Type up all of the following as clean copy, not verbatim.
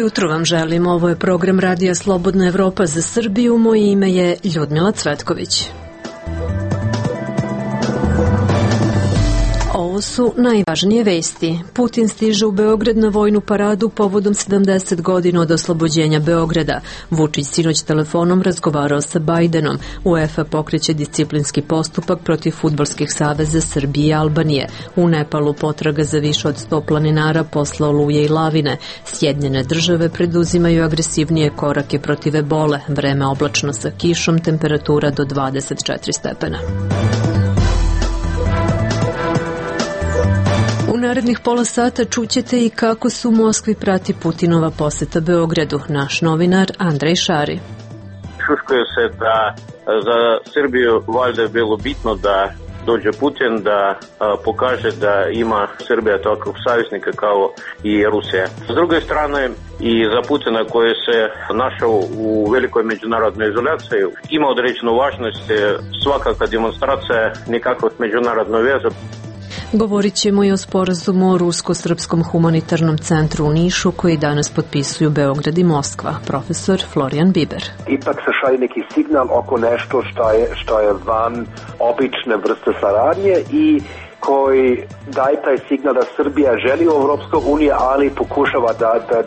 jutro vam želim. Ovo je program Radija Slobodna Evropa za Srbiju. Moje ime je Ljudmila Cvetković. Ovo su najvažnije vesti. Putin stiže u Beograd na vojnu paradu povodom 70 godina od oslobođenja Beograda. Vučić sinoć telefonom razgovarao sa Bajdenom. UEFA pokreće disciplinski postupak protiv fudbalskih saveza Srbije i Albanije. U Nepalu potraga za više od 100 planinara posle oluje i lavine. Sjedinjene države preduzimaju agresivnije korake protiv ebole. Vreme oblačno sa kišom, temperatura do 24 stepena. U narednih pola sata čućete i kako se u Moskvi prati Putinova poseta Beogradu. Naš novinar Andrej Šari. Šuškuje se da za Srbiju valjda je bilo bitno da dođe Putin, da pokaže da ima Srbija takvog saveznika kao i Rusija. S druge strane, i za Putina koji se našao u velikoj međunarodnoj izolaciji, ima određenu važnost svakakva demonstracija nekakvog međunarodnog veza. Govorit ćemo i o sporazumu o Rusko-srpskom humanitarnom centru u Nišu koji danas potpisuju Beograd i Moskva. Profesor Florijan Biber. Ipak se šalje neki signal oko nešto što je van obične vrste saradnje i koji daje taj signal da Srbija želi u Evropskoj uniji, ali pokušava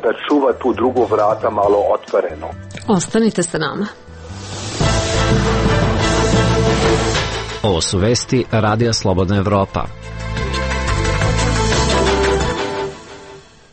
da čuva tu drugu vrata malo otvoreno. Ostanite sa nama. Ovo su vesti Radija Slobodna Evropa.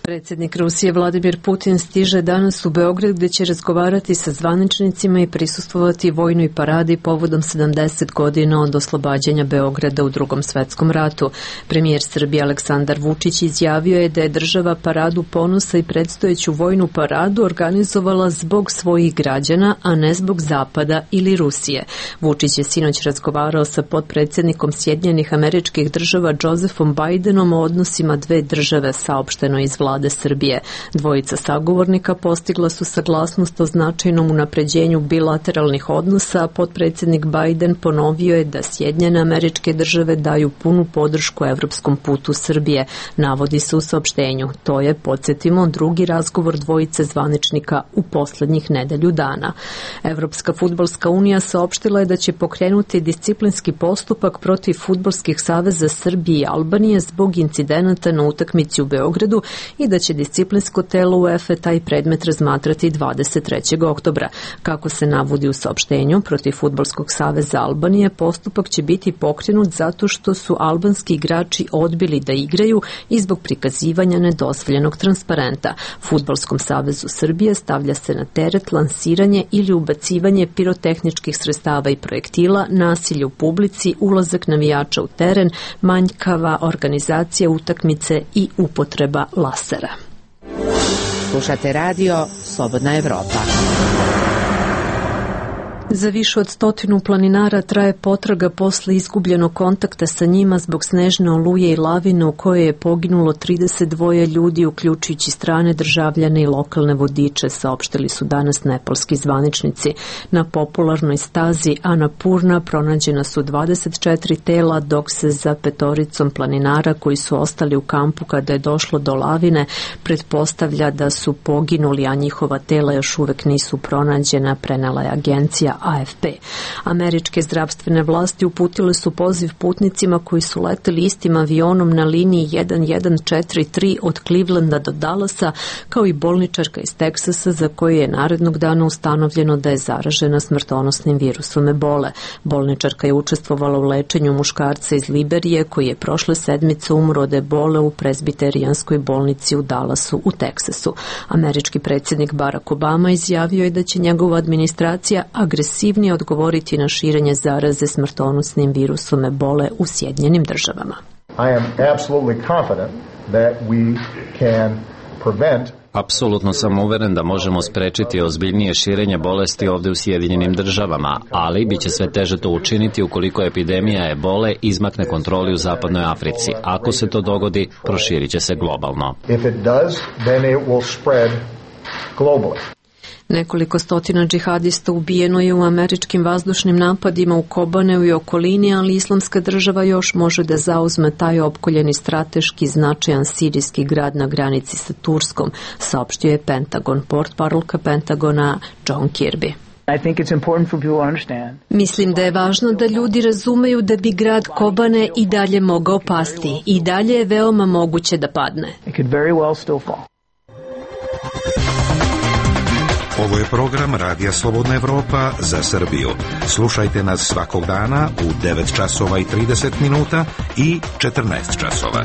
Predsjednik Rusije Vladimir Putin stiže danas u Beograd gdje će razgovarati sa zvaničnicima i prisustvovati vojnoj paradi povodom 70 godina od oslobađanja Beograda u Drugom svetskom ratu. Premijer Srbije Aleksandar Vučić izjavio je da je država paradu ponosa i predstojeću vojnu paradu organizovala zbog svojih građana, a ne zbog Zapada ili Rusije. Vučić je sinoć razgovarao sa potpredsjednikom Sjedinjenih Američkih Država Josephom Bajdenom o odnosima dve države, saopšteno iz Vlade Srbije. Dvojica sagovornika postigla su saglasnost o značajnom unapređenju bilateralnih odnosa, a potpredsjednik Bajden ponovio je da Sjedinjene Američke Države daju punu podršku evropskom putu Srbije, navodi se u saopštenju. To je, podsjetimo, drugi razgovor dvojice zvaničnika u poslednjih nedelju dana. Evropska fudbalska unija saopštila je da će pokrenuti disciplinski postupak protiv fudbalskih saveza Srbije i Albanije zbog incidenata na utakmici u Beogradu i da će disciplinsko telo UEFA taj predmet razmatrati 23. oktobra. Kako se navodi u saopštenju, protiv Fudbalskog saveza Albanije postupak će biti pokrenut zato što su albanski igrači odbili da igraju i zbog prikazivanja nedozvoljenog transparenta. Fudbalskom savezu Srbije stavlja se na teret lansiranje ili ubacivanje pirotehničkih sredstava i projektila, nasilje u publici, ulazak navijača u teren, manjkava organizacija utakmice i upotreba lasera. Slušate radio Slobodna Evropa. Za više od 100 planinara traje potraga posle izgubljenog kontakta sa njima zbog snežne oluje i lavine u kojoj je poginulo 32 ljudi, uključujući strane državljane i lokalne vodiče, saopštili su danas nepalski zvaničnici. Na popularnoj stazi Annapurna pronađena su 24 tela, dok se za 5 planinara koji su ostali u kampu kada je došlo do lavine pretpostavlja da su poginuli, a njihova tela još uvek nisu pronađena, prenela je agencija AFP. Američke zdravstvene vlasti uputile su poziv putnicima koji su leteli istim avionom na liniji 1143 od Clevelanda do Dallasa, kao i bolničarka iz Teksasa za koju je narednog dana ustanovljeno da je zaražena smrtonosnim virusom ebole. Bolničarka je učestvovala u lečenju muškarca iz Liberije koji je prošle sedmice umro od ebole u prezbiterijanskoj bolnici u Dallasu u Teksasu. Američki predsjednik Barack Obama izjavio je da će njegova administracija agresivnije odgovoriti na širenje zaraze smrtonosnim virusom ebole u Sjedinjenim Državama. Apsolutno sam uveren da možemo sprečiti ozbiljnije širenje bolesti ovde u Sjedinjenim Državama, ali biće sve teže to učiniti ukoliko epidemija ebole izmakne kontroli u Zapadnoj Africi. Ako se to dogodi, proširit će se globalno. Nekoliko stotina džihadista ubijeno je u američkim vazdušnim napadima u Kobaneu i okolini, ali Islamska država još može da zauzme taj opkoljeni strateški značajan sirijski grad na granici sa Turskom, saopštio je Pentagon, portparolka Pentagona John Kirby. Mislim da je važno da ljudi razumeju da bi grad Kobane i dalje mogao pasti. I dalje je veoma moguće da padne. Ovo je program Radija Slobodna Evropa za Srbiju. Slušajte nas svakog dana u 9 časova i 30 minuta i 14 časova.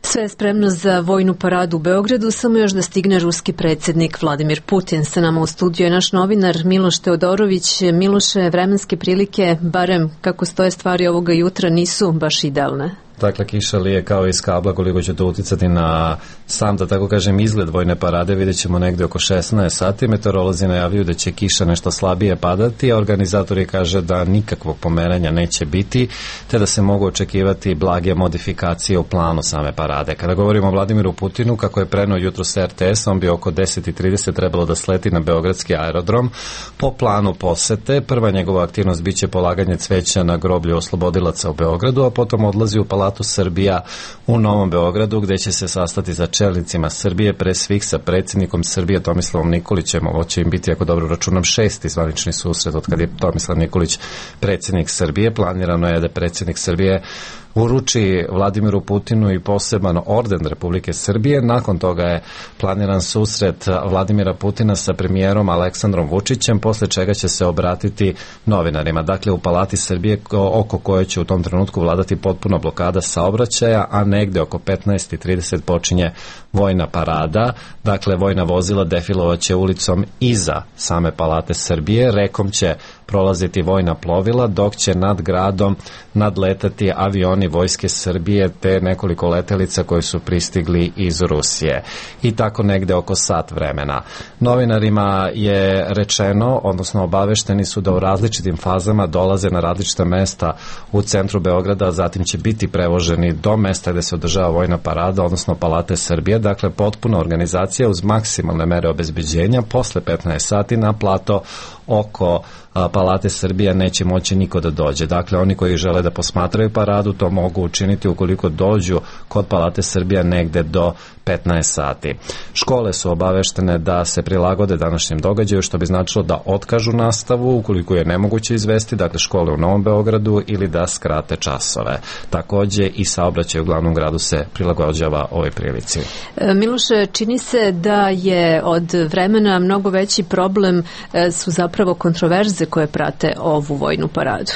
Sve je spremno za vojnu paradu u Beogradu, samo još da stigne ruski predsjednik Vladimir Putin. Sa nama u studiju je naš novinar Miloš Teodorović. Miloše, vremenske prilike, barem kako stoje stvari ovoga jutra, nisu baš idealne. Dakle, kiša lije kao iz kabla, koliko će to uticati na sam, da tako kažem, izgled vojne parade, vidjet ćemo negde oko 16 sati. Meteorolozi najavljuju da će kiša nešto slabije padati, a organizatori kaže da nikakvog pomeranja neće biti, te da se mogu očekivati blage modifikacije u planu same parade. Kada govorimo o Vladimiru Putinu, kako je preneo jutro sa RTS, on bi oko 10:30 trebalo da sleti na beogradski aerodrom. Po planu posete, prva njegova aktivnost biće polaganje cveća na groblju oslobodilaca u Beogradu, a potom odlazi u Palatu Srbija u Novom Beogradu, gde će se sastati sa čelnicima Srbije, pre svih sa predsjednikom Srbije Tomislavom Nikolićem. Ovo će im biti, ako dobro računam, 6. zvanični susret od kad je Tomislav Nikolić predsjednik Srbije. Planirano je da predsjednik Srbije uruči Vladimiru Putinu i poseban orden Republike Srbije. Nakon toga je planiran susret Vladimira Putina sa premijerom Aleksandrom Vučićem, posle čega će se obratiti novinarima. Dakle, u Palati Srbije, oko koje će u tom trenutku vladati potpuna blokada saobraćaja, a negde oko 15:30 počinje vojna parada. Dakle, vojna vozila defilovaće ulicom iza same Palate Srbije, rekom će prolaziti vojna plovila, dok će nad gradom nadletati avioni vojske Srbije te nekoliko letelica koji su pristigli iz Rusije. I tako negde oko sat vremena. Novinarima je rečeno, odnosno obavešteni su da u različitim fazama dolaze na različita mesta u centru Beograda, a zatim će biti prevoženi do mesta gde se održava vojna parada, odnosno Palate Srbije. Dakle, potpuna organizacija uz maksimalne mere obezbeđenja. Posle 15 sati na plato oko Palate Srbije neće moći niko da dođe. Dakle, oni koji žele da posmatraju paradu to mogu učiniti ukoliko dođu kod Palate Srbije negde do 15 sati. Škole su obaveštene da se prilagode današnjem događaju, što bi značilo da otkažu nastavu ukoliko je nemoguće izvesti, dakle škole u Novom Beogradu, ili da skrate časove. Takođe i saobraćaj u glavnom gradu se prilagođava ovoj prilici. Miloše, čini se da je od vremena mnogo veći problem su zapravo kontroverze koje prate ovu vojnu paradu.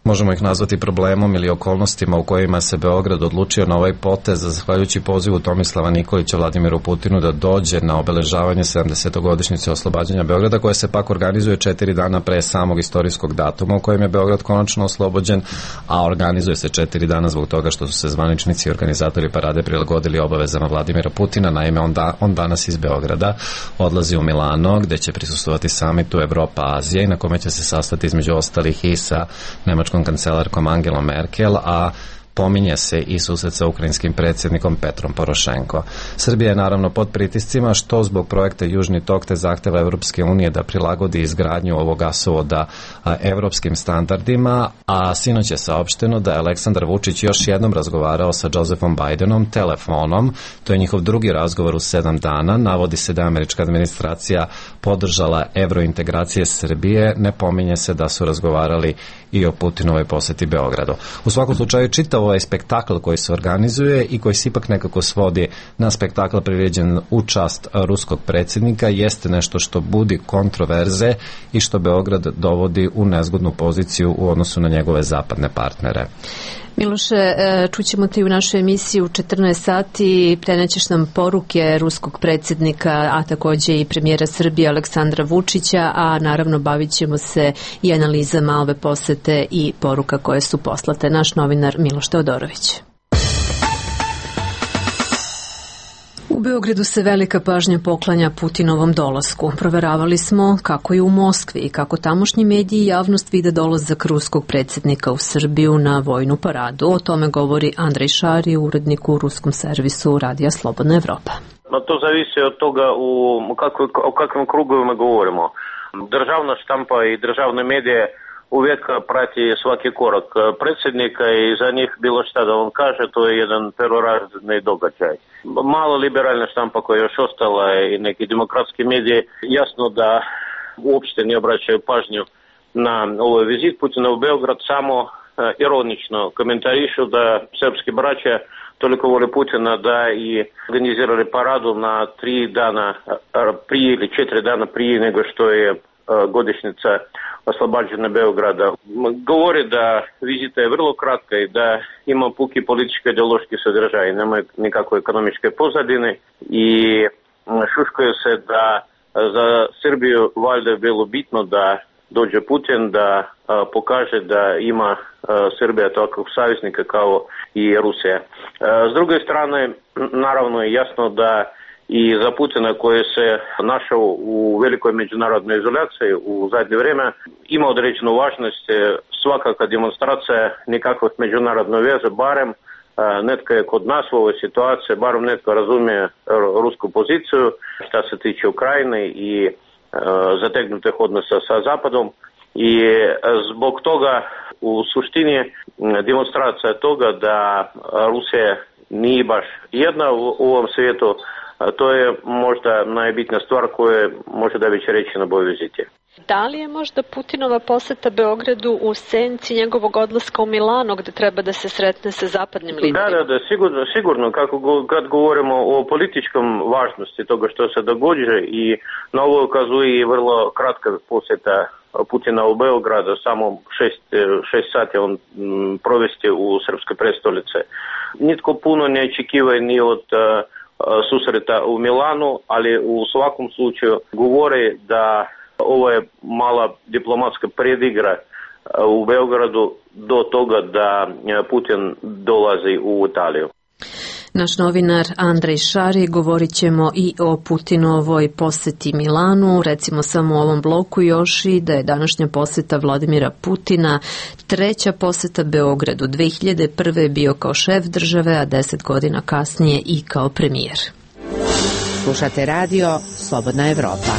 Možemo ih nazvati problemom ili okolnostima u kojima se Beograd odlučio na ovaj potez, zahvaljujući pozivu Tomislava Nikolića Vladimiru Putinu da dođe na obeležavanje 70-godišnjice oslobađanja Beograda, koje se pak organizuje 4 dana pre samog istorijskog datuma u kojem je Beograd konačno oslobođen, a organizuje se 4 dana zbog toga što su se zvaničnici i organizatori parade prilagodili obavezama Vladimira Putina. Naime, on danas iz Beograda odlazi u Milano, gde će prisustvovati samitu Evropa-Azija i na kome će se sastati između ostalih i sa nemačkom kancelarkom Angelom Merkel, a pominje se i susret sa ukrajinskim predsjednikom Petrom Porošenko. Srbija je naravno pod pritiscima, što zbog projekta Južni tok te zahteva Evropske unije da prilagodi izgradnju ovog gasovoda evropskim standardima, a sinoć je saopšteno da je Aleksandar Vučić još jednom razgovarao sa Josephom Bidenom telefonom. To je njihov drugi razgovor u 7 dana. Navodi se da je američka administracija podržala evrointegracije Srbije. Ne pominje se da su razgovarali i o Putinovoj poseti Beogradu. U svakom slučaju, čitav ovaj spektakl koji se organizuje i koji se ipak nekako svodi na spektakl priređen u čast ruskog predsjednika jeste nešto što budi kontroverze i što Beograd dovodi u nezgodnu poziciju u odnosu na njegove zapadne partnere. Miloše, čućemo te u našoj emisiji u 14 sati, prenećeš nam poruke ruskog predsjednika, a takođe i premijera Srbije Aleksandra Vučića, a naravno bavit ćemo se i analizama ove posete i poruka koje su poslate. Naš novinar Miloš Teodorović. U Beogradu se velika pažnja poklanja Putinovom dolasku. Proveravali smo kako je u Moskvi i kako tamošnji mediji i javnost vide dolazak ruskog predsjednika u Srbiju na vojnu paradu. O tome govori Andrej Šari, urednik u ruskom servisu Radija Slobodna Evropa. To zavisi od toga o kakvim krugovima govorimo. Državna štampa i državne medije uvijek prati svaki korak predsjednika i za njih bilo šta da on kaže, to je jedan prvorazredni događaj. Malo liberalna štampa koja je još ostala i neki demokratski mediji, jasno da uopšte ne obraćaju pažnju na ovaj vizit Putina u Beograd, samo ironično komentarišu da srpski braća toliko vole Putina da i organizirali paradu na 3 dana prije ili 4 dana prije nego što je godišnjica oslobađanja Beograda. Govori da vizita je vrlo kratka i da ima puki političko-ideološki sadržaj, nema nikakve ekonomičke pozadine i šuškuje se da za Srbiju valjda je bilo bitno da dođe Putin, da pokaže da ima Srbija takvog saveznika kao i Rusija. S druge strane, naravno je jasno da i za Putina koji se našao u velikoj međunarodnoj izolaciji u zadnje vrijeme ima određenu važnost svakakva demonstracija nekakvih međunarodnih veza, barem netko je kod nas u ovoj situaciji, barem netko razumije rusku poziciju što se tiče Ukrajine i zategnutih odnosa sa Zapadom i zbog toga u suštini demonstracija toga da Rusija nije baš jedna u ovom svijetu, to je možda najbitnija stvar koja može da biti reći na ovoj viziti. Da li je možda Putinova poseta Beogradu u senci njegovog odlaska u Milano gdje treba da se sretne sa zapadnim liderima? Da, sigurno. Kad govorimo o političkom važnosti toga što se događa i na ovo ukazuje i vrlo kratka posjeta Putina u Beogradu, samo 6 sati on provesti u srpskoj prestolici. Nitko puno ne očekiva ni od susreta u Milanu, ali u svakom slučaju govori da ovo je mala diplomatska predigra u Beogradu do toga da Putin dolazi u Italiju. Naš novinar Andrej Šari, govorit ćemo i o Putinovoj poseti Milanu, recimo samo u ovom bloku još i da je današnja poseta Vladimira Putina treća poseta Beogradu. 2001. je bio kao šef države, a 10 godina kasnije i kao premijer. Slušate radio Slobodna Evropa.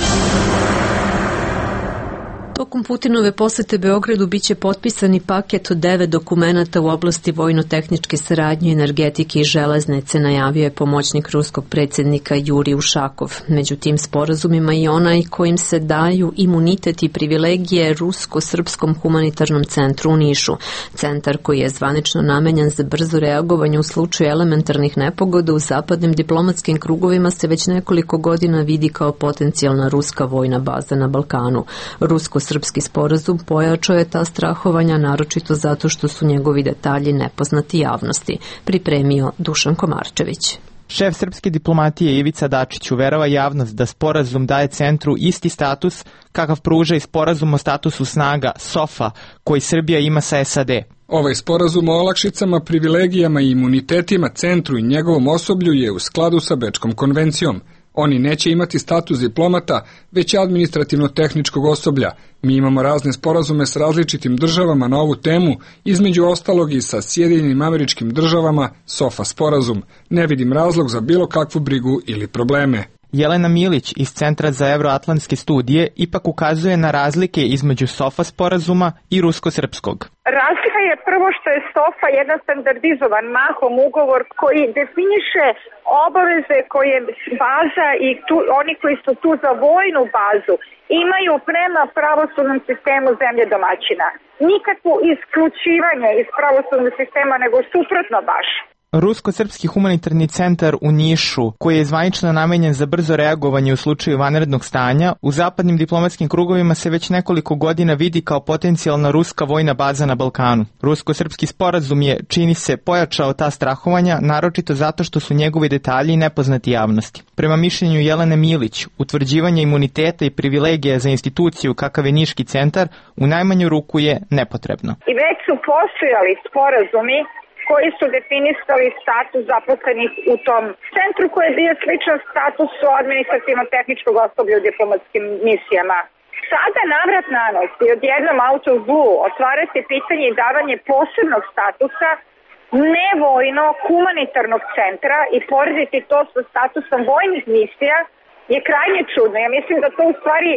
Tokom Putinove posete Beogradu biće potpisani paket od 9 dokumenata u oblasti vojno-tehničke saradnje, energetike i železnice, najavio je pomoćnik ruskog predsjednika Jurij Ušakov. Među tim sporazumima i onaj kojim se daju imunitet i privilegije Rusko-srpskom humanitarnom centru u Nišu. Centar koji je zvanično namenjen za brzo reagovanje u slučaju elementarnih nepogoda u zapadnim diplomatskim krugovima se već nekoliko godina vidi kao potencijalna ruska vojna baza na Balkanu. Rusko-srpski sporazum pojačao je ta strahovanja, naročito zato što su njegovi detalji nepoznati javnosti, pripremio Dušan Komarčević. Šef srpske diplomatije Ivica Dačić uverava javnost da sporazum daje centru isti status kakav pruža i sporazum o statusu snaga SOFA koji Srbija ima sa SAD. Ovaj sporazum o olakšicama, privilegijama i imunitetima centru i njegovom osoblju je u skladu sa Bečkom konvencijom. Oni neće imati status diplomata, već administrativno-tehničkog osoblja. Mi imamo razne sporazume s različitim državama na ovu temu, između ostalog i sa Sjedinjenim Američkim Državama, SOFA sporazum. Ne vidim razlog za bilo kakvu brigu ili probleme. Jelena Milić iz Centra za euroatlantske studije ipak ukazuje na razlike između SOFA sporazuma i rusko-srpskog. Razlika je prvo što je SOFA jedan standardizovan mahom ugovor koji definiše obaveze koje baza i oni koji su tu za vojnu bazu imaju prema pravosudnom sistemu zemlje domaćina. Nikakvo isključivanje iz pravosudnog sistema, nego suprotno baš. Rusko-srpski humanitarni centar u Nišu, koji je zvanično namenjen za brzo reagovanje u slučaju vanrednog stanja, u zapadnim diplomatskim krugovima se već nekoliko godina vidi kao potencijalna ruska vojna baza na Balkanu. Rusko-srpski sporazum je, čini se, pojačao ta strahovanja, naročito zato što su njegovi detalji nepoznati javnosti. Prema mišljenju Jelene Milić, utvrđivanje imuniteta i privilegija za instituciju kakav je Niški centar u najmanju ruku je nepotrebno. I već su postojali sporazumi koji su definisali status zaposlenih u tom centru koji je bio sličan statusu administrativno-tehničkog osoblja u diplomatskim misijama. Sada navrat na nos i odjednom out of blue otvarati pitanje i davanje posebnog statusa nevojnog humanitarnog centra i porediti to sa statusom vojnih misija je krajnje čudno. Ja mislim da to u stvari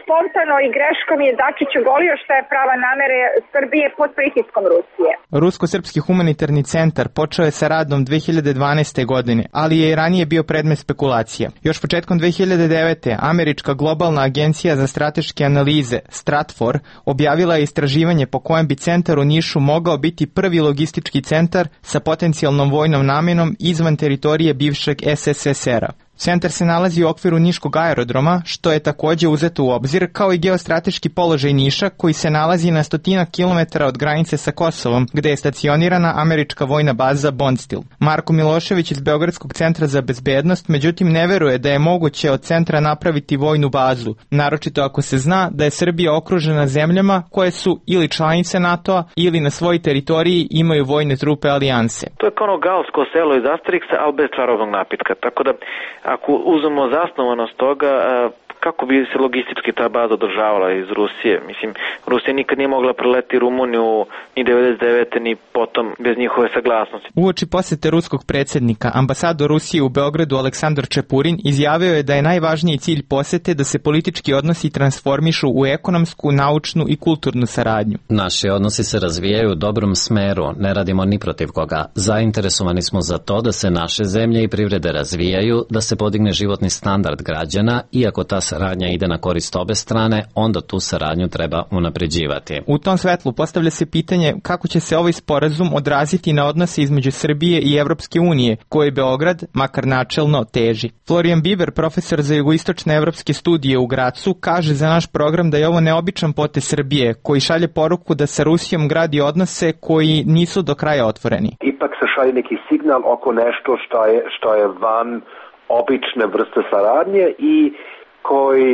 spontano i greškom je Dačić ogolio šta je prava namere Srbije pod pritiskom Rusije. Rusko-srpski humanitarni centar počeo je sa radom 2012. godine, ali je i ranije bio predmet spekulacija. Još početkom 2009. Američka globalna agencija za strateške analize, Stratfor, objavila je istraživanje po kojem bi centar u Nišu mogao biti prvi logistički centar sa potencijalnom vojnom namenom izvan teritorije bivšeg SSSR-a. Centar se nalazi u okviru Niškog aerodroma, što je takođe uzeto u obzir, kao i geostrateški položaj Niša, koji se nalazi na 100 kilometara od granice sa Kosovom, gde je stacionirana američka vojna baza Bondstil. Marko Milošević iz Beogradskog centra za bezbednost, međutim, ne veruje da je moguće od centra napraviti vojnu bazu, naročito ako se zna da je Srbija okružena zemljama koje su ili članice NATO-a ili na svojoj teritoriji imaju vojne trupe alijanse. To je kao ono galsko selo iz Asterixa, ali bez čarobnog napitka, tako da ako uzmemo zasnovanost toga, kako bi se logistički ta baza održavala iz Rusije? Mislim, Rusija nikad nije mogla preleti Rumuniju ni 99. ni potom bez njihove saglasnosti. Uoči posete ruskog predsjednika, ambasador Rusije u Beogradu Aleksandar Čepurin izjavio je da je najvažniji cilj posete da se politički odnosi transformišu u ekonomsku, naučnu i kulturnu saradnju. Naši odnosi se razvijaju u dobrom smeru, ne radimo ni protiv koga. Zainteresovani smo za to da se naše zemlje i privrede razvijaju, da se podigne životni standard građana, iako ta saradnja ide na korist obe strane, onda tu saradnju treba unapređivati. U tom svetlu postavlja se pitanje kako će se ovaj sporazum odraziti na odnose između Srbije i Evropske unije, koje Beograd, makar načelno, teži. Florian Biber, profesor za jugoistočne evropske studije u Gracu, kaže za naš program da je ovo neobičan potez Srbije, koji šalje poruku da sa Rusijom gradi odnose koji nisu do kraja otvoreni. Ipak se šalje neki signal oko nešto što je van obične vrste saradnje i koji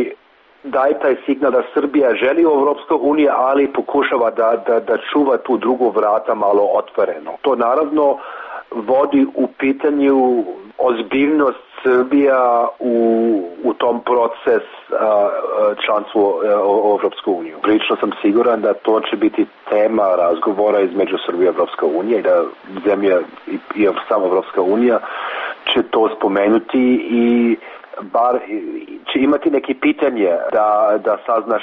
daje taj signal da Srbija želi u Evropskoj uniji, ali pokušava da čuva tu drugu vrata malo otvoreno. To naravno vodi u pitanju ozbiljnost Srbija u tom proces članstva u Evropskoj uniji. Prilično sam siguran da to će biti tema razgovora između Srbije i Evropske unije i da zemlja i sama Evropska unija će to spomenuti i bar će imati neki pitanje da sazna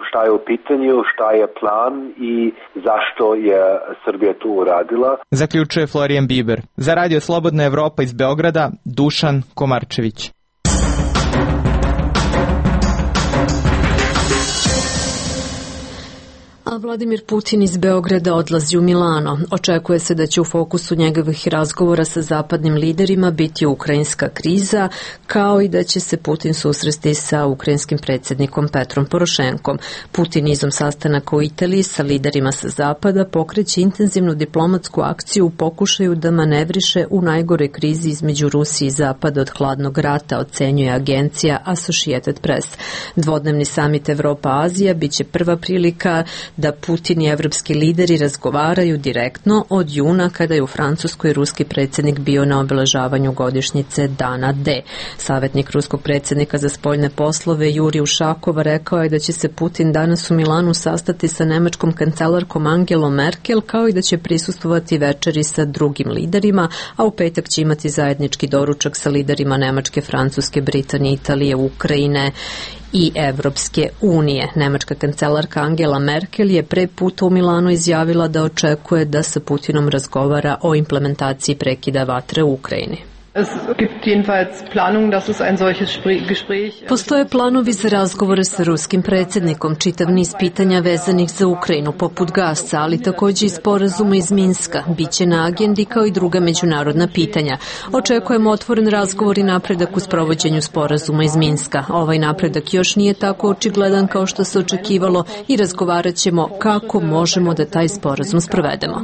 šta je u pitanju, šta je plan i zašto je Srbija tu uradila. Zaključuje Florian Biber. Za Radio Slobodna Evropa iz Beograda, Dušan Komarčević. A Vladimir Putin iz Beograda odlazi u Milano. Očekuje se da će u fokusu njegovih razgovora sa zapadnim liderima biti ukrajinska kriza, kao i da će se Putin susresti sa ukrajinskim predsjednikom Petrom Porošenkom. Putin izom sastanaka u Italiji sa liderima sa zapada pokreće intenzivnu diplomatsku akciju u pokušaju da manevriše u najgoroj krizi između Rusije i zapada od hladnog rata, ocenjuje agencija Associated Press. Dvodnevni samit Evropa-Azija biće prva prilika da Putin i evropski lideri razgovaraju direktno od juna kada je u Francuskoj ruski predsjednik bio na obeležavanju godišnjice Dana D. Savjetnik ruskog predsjednika za spoljne poslove Jurij Ušakov rekao je da će se Putin danas u Milanu sastati sa nemačkom kancelarkom Angelom Merkel, kao i da će prisustvovati večeri sa drugim liderima, a u petak će imati zajednički doručak sa liderima Nemačke, Francuske, Britanije, Italije, Ukrajine i Evropske unije. Nemačka kancelarka Angela Merkel je pre puta u Milanu izjavila da očekuje da sa Putinom razgovara o implementaciji prekida vatre u Ukrajini. Postoje planovi za razgovore sa ruskim predsjednikom, čitav niz pitanja vezanih za Ukrajinu, poput gasa, ali također i sporazuma iz Minska. Biće na agendi kao i druga međunarodna pitanja. Očekujemo otvoren razgovor i napredak u sprovođenju sporazuma iz Minska. Ovaj napredak još nije tako očigledan kao što se očekivalo i razgovarat ćemo kako možemo da taj sporazum sprovedemo.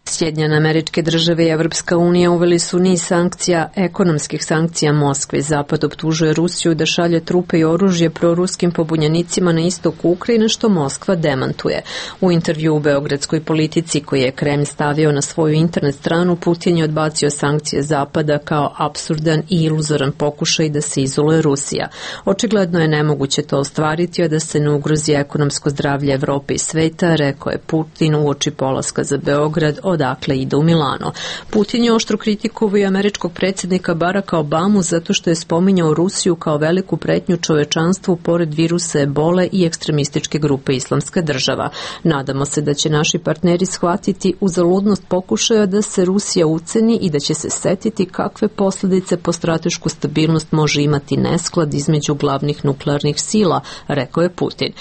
Sjedinjene Američke Države i Evropska unija uveli su niz sankcija, ekonomskih sankcija Moskve. Zapad optužuje Rusiju da šalje trupe i oružje proruskim pobunjenicima na istoku Ukrajine, što Moskva demantuje. U intervju u Beogradskoj politici koji je Kremlj stavio na svoju internet stranu, Putin je odbacio sankcije Zapada kao apsurdan i iluzoran pokušaj da se izoluje Rusija. Očigledno je nemoguće to ostvariti, a da se ne ugrozi ekonomsko zdravlje Evrope i sveta, rekao je Putin uoči polaska za Beograd, odakle ide u Milano. Putin je oštro kritikovao i američkog predsjednika Baracka Obamu zato što je spominjao Rusiju kao veliku pretnju čovečanstvu pored virusa ebole i ekstremističke grupe Islamska država. Nadamo se da će naši partneri shvatiti uzaludnost pokušaja da se Rusija uceni i da će se setiti kakve posljedice po stratešku stabilnost može imati nesklad između glavnih nuklearnih sila, rekao je Putin.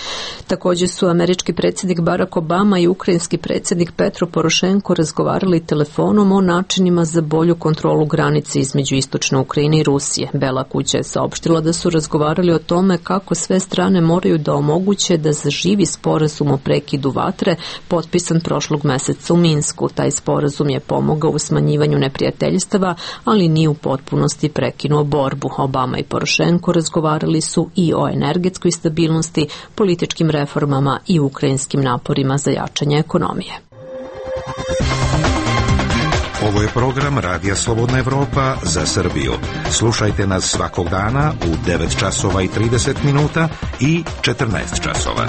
Također su američki predsjednik Barack Obama i ukrajinski predsjednik Petro Porošenko razgovarali telefonom o načinima za bolju kontrolu granice između istočne Ukrajine i Rusije. Bela kuća je saopštila da su razgovarali o tome kako sve strane moraju da omoguće da zaživi sporazum o prekidu vatre potpisan prošlog meseca u Minsku. Taj sporazum je pomogao u smanjivanju neprijateljstava, ali nije u potpunosti prekinuo borbu. Obama i Porošenko razgovarali su i o energetskoj stabilnosti, političkim reformama i ukrajinskim naporima za jačanje ekonomije. Ovo je program Radija Slobodna Evropa za Srbiju. Slušajte nas svakog dana u 9 časova i 30 minuta i 14 časova.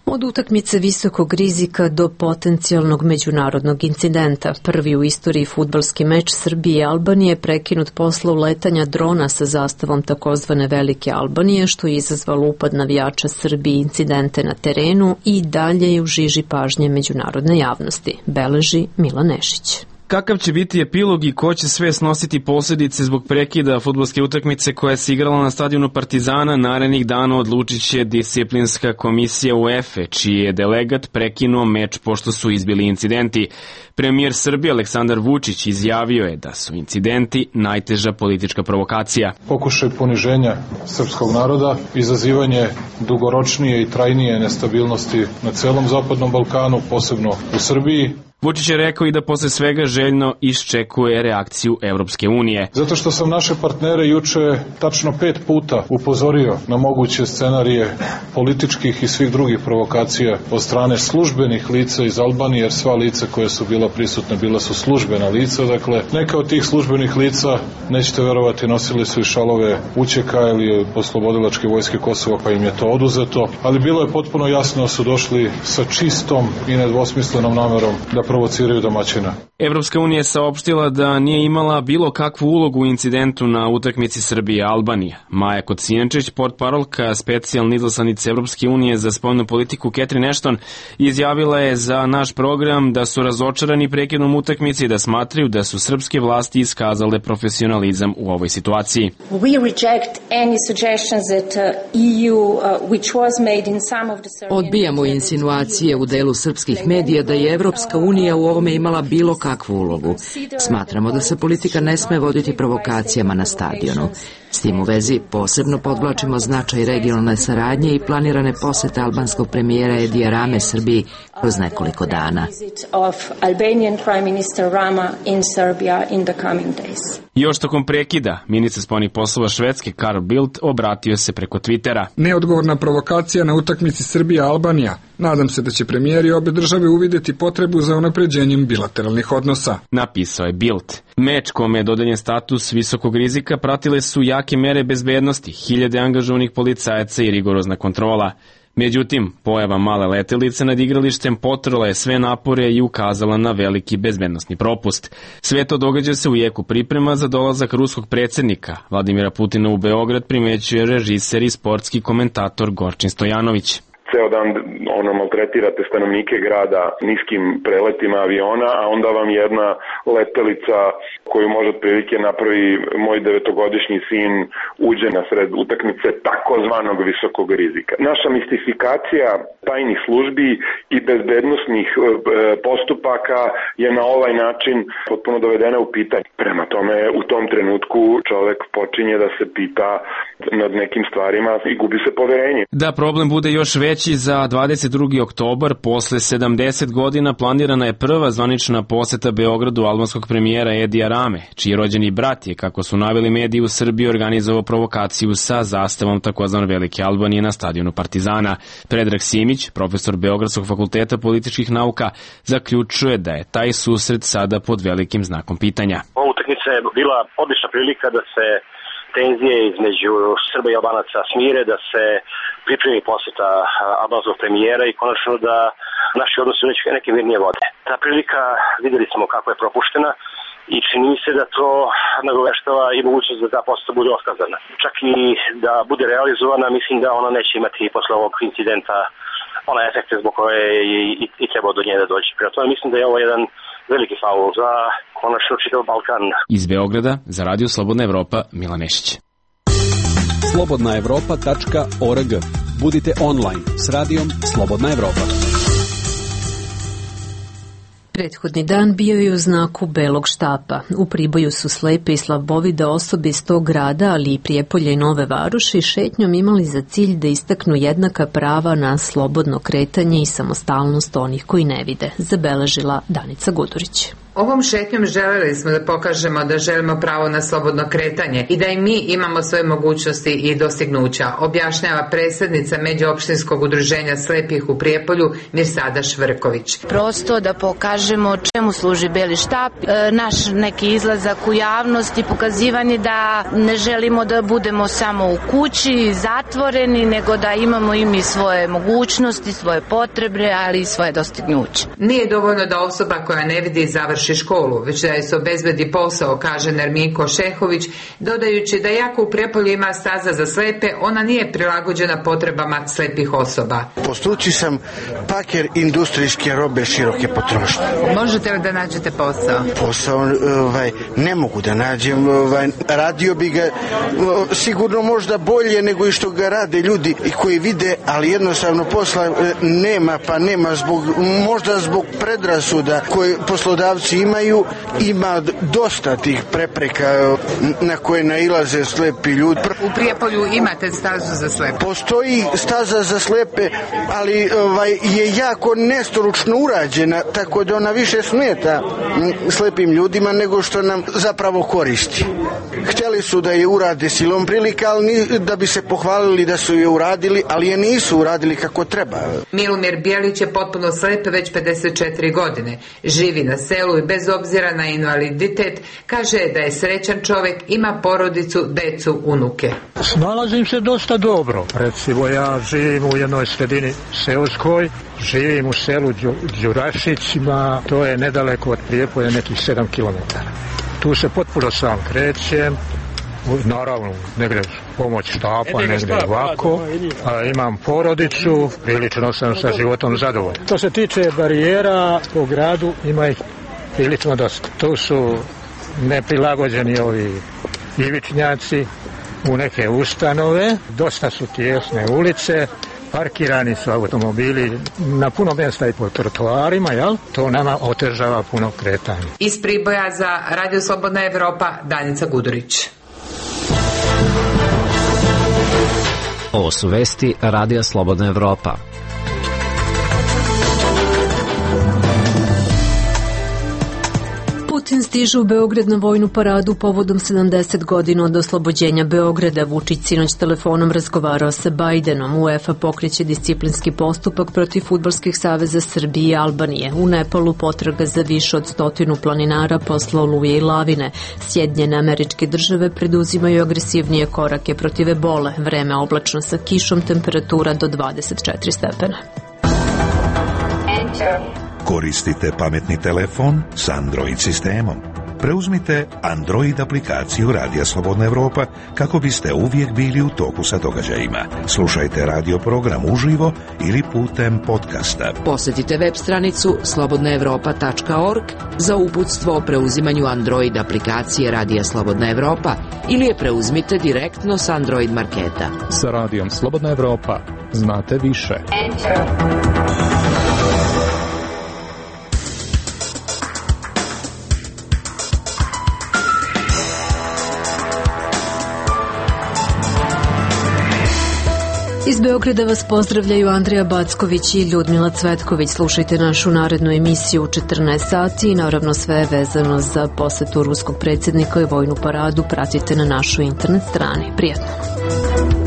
Od utakmice visokog rizika do potencijalnog međunarodnog incidenta. Prvi u istoriji fudbalski meč Srbije i Albanije prekinut posle uletanja drona sa zastavom takozvane Velike Albanije, što je izazvalo upad navijača Srbije i incidente na terenu i dalje je u žiži pažnje međunarodne javnosti, beleži Milan Nešić. Kakav će biti epilog i ko će sve snositi posljedice zbog prekida fudbalske utakmice koja se igrala na stadionu Partizana, narednih dana odlučit će disciplinska komisija UEFA, čiji je delegat prekinuo meč pošto su izbili incidenti. Premijer Srbije Aleksandar Vučić izjavio je da su incidenti najteža politička provokacija. Pokušaj poniženja srpskog naroda, izazivanje dugoročnije i trajnije nestabilnosti na celom Zapadnom Balkanu, posebno u Srbiji. Vučić je rekao i da posle svega željno iščekuje reakciju Evropske unije. Zato što sam naše partnere juče tačno 5 puta upozorio na moguće scenarije političkih i svih drugih provokacija od strane službenih lica iz Albanije, jer sva lica koja su bila prisutna bila su službena lica. Dakle, neka od tih službenih lica, nećete verovati, nosili su i šalove UČK ili Oslobodilačke vojske Kosova, pa im je to oduzeto. Ali bilo je potpuno jasno da su došli sa čistom i nedvosmislenom namerom da provociraju domaćina. Evropska unija je saopštila da nije imala bilo kakvu ulogu u incidentu na utakmici Srbije-Albanija. Maja Kocijančić, portparolka specijalne izaslanice Evropske unije za spoljnu politiku Catherine Ashton, izjavila je za naš program da su razočarani prekidom utakmice i da smatraju da su srpske vlasti iskazale profesionalizam u ovoj situaciji. Odbijamo insinuacije u delu srpskih medija da je Evropska unija u ovome imala bilo kakvu ulogu. Smatramo da se politika ne sme voditi provokacijama na stadionu. S tim u vezi posebno podvlačimo značaj regionalne saradnje i planirane posete albanskog premijera Edija Rame Srbiji kroz nekoliko dana. Još tokom prekida, ministar spoljnih poslova Švedske Carl Bildt obratio se preko Twittera. Neodgovorna provokacija na utakmici Srbija-Albanija. Nadam se da će premijeri obe države uvidjeti potrebu za unapređenjem bilateralnih odnosa. Napisao je Bildt. Meč kome je dodeljen status visokog rizika pratile su jake mere bezbednosti, 1000 angažovanih policajaca i rigorozna kontrola. Međutim, pojava male letelice nad igralištem potrla je sve napore i ukazala na veliki bezbednosni propust. Sve to događa se u jeku priprema za dolazak ruskog predsjednika Vladimira Putina u Beograd, primećuje režiser i sportski komentator Gorčin Stojanović. Ceo dan maltretirate stanovnike grada niskim preletima aviona, a onda vam jedna letelica koju može otprilike napravi moj 9-godišnji sin uđe na sred utakmice takozvanog visokog rizika. Naša mistifikacija tajnih službi i bezbednosnih postupaka je na ovaj način potpuno dovedena u pitanje. Prema tome, u tom trenutku čovek počinje da se pita nad nekim stvarima i gubi se poverenje. Da problem bude još veći, za 22. oktobar, posle 70 godina, planirana je prva zvanična poseta Beogradu albanskog premijera Edija Rame, čiji rođeni brat je, kako su naveli mediji u Srbiji, organizovao provokaciju sa zastavom takozvane Velike Albanije na stadionu Partizana. Predrag Simić, profesor Beogradskog fakulteta političkih nauka, zaključuje da je taj susret sada pod velikim znakom pitanja. Ova utakmica je bila odlična prilika da se tenzije između Srba i Albanaca smire, da se pripremi poseta albanskog premijera i konačno da naši odnosi u neke mirnije vode. Ta prilika, videli smo kako je propuštena i čini se da to nagoveštava i mogućnost da ta poseta bude otkazana. Čak i da bude realizovana, mislim da ona neće imati posle ovog incidenta ona efekte zbog koje i treba do nje da dođe. Prema tome mislim da je ovo jedan veliki faul za konačno čitav Balkan. Iz Beograda za Radio Slobodna Evropa, Milan Nešić. slobodnaevropa.org. Budite online s radijom Slobodna Evropa. Prethodni dan bio je u znaku belog štapa. U Priboju su slepe i slabovide osobe iz tog grada, ali i Prijepolja i Nove Varoši, šetnjom imali za cilj da istaknu jednaka prava na slobodno kretanje i samostalnost onih koji ne vide, zabeležila Danica Gudurić. Ovom šetnjom želeli smo da pokažemo da želimo pravo na slobodno kretanje i da i mi imamo svoje mogućnosti i dostignuća, objašnjava predsjednica Međuopštinskog udruženja slepih u Prijepolju Mirsada Švrković. Prosto da pokažemo čemu služi beli štap, naš neki izlazak u javnost i pokazivanje da ne želimo da budemo samo u kući, zatvoreni, nego da imamo i mi svoje mogućnosti, svoje potrebe, ali i svoje dostignuće. Nije dovoljno da osoba koja ne vidi završi školu, već da je se obezbedi posao, kaže Nerminko Šehović, dodajući da jako u Prijepolju ima staza za slepe, ona nije prilagođena potrebama slepih osoba. Po struci sam paker industrijske robe široke potrošnje. Možete li da nađete posao? Posao ne mogu da nađem, radio bi ga sigurno možda bolje nego i što ga rade ljudi i koji vide, ali jednostavno posla nema, pa nema možda zbog predrasuda koje poslodavci imaju, ima dosta tih prepreka na koje nailaze slepi ljudi. U Prijepolju imate stazu za slepe? Postoji staza za slepe, ali je jako nestručno urađena, tako da ona više smeta slepim ljudima nego što nam zapravo koristi. Htjeli su da je urade silom prilika, ali da bi se pohvalili da su je uradili, ali je nisu uradili kako treba. Milomir Bijelić je potpuno slep već 54 godine. Živi na selu i bez obzira na invaliditet kaže da je srećan čovjek, ima porodicu, decu, unuke. Snalazim se dosta dobro. Recimo ja živim u jednoj sredini seoskoj, živim u selu Đurašićima, to je nedaleko od Prijepolja, nekih 7 km. Tu se potpuno sam krećem, naravno negdje pomoć štapa, negdje ovako, imam porodicu, prilično sam sa životom zadovoljan. Što se tiče barijera po gradu, ima ih prilično dosta. Tu su neprilagođeni ovi ivičnjaci u neke ustanove, dosta su tijesne ulice, parkirani su automobili na puno mjesta i po trotoarima, jel? To nama otežava puno kretanja. Iz Priboja za Radio Slobodna Evropa, Danica Gudurić. Ovo su vesti Radija Slobodna Evropa. Putin stiže u Beograd na vojnu paradu povodom 70 godina od oslobođenja Beograda. Vučić sinoć telefonom razgovarao sa Bajdenom. UEFA pokreće disciplinski postupak protiv fudbalskih saveza Srbije i Albanije. U Nepalu potraga za više od 100 planinara posle oluje i lavine. Sjedinjene Američke Države preduzimaju agresivnije korake protiv ebole. Vreme oblačno sa kišom, temperatura do 24 stepena. Koristite pametni telefon s Android sistemom. Preuzmite Android aplikaciju Radija Slobodna Evropa kako biste uvijek bili u toku sa događajima. Slušajte radio program uživo ili putem podcasta. Posjetite web stranicu slobodnaevropa.org za uputstvo o preuzimanju Android aplikacije Radija Slobodna Evropa ili je preuzmite direktno s Android marketa. Sa Radijom Slobodna Evropa znate više. Iz Beograda vas pozdravljaju Andrija Backović i Ljudmila Cvetković. Slušajte našu narednu emisiju u 14 sati i naravno sve vezano za posetu ruskog predsjednika i vojnu paradu pratite na našoj internet strani. Prijatno!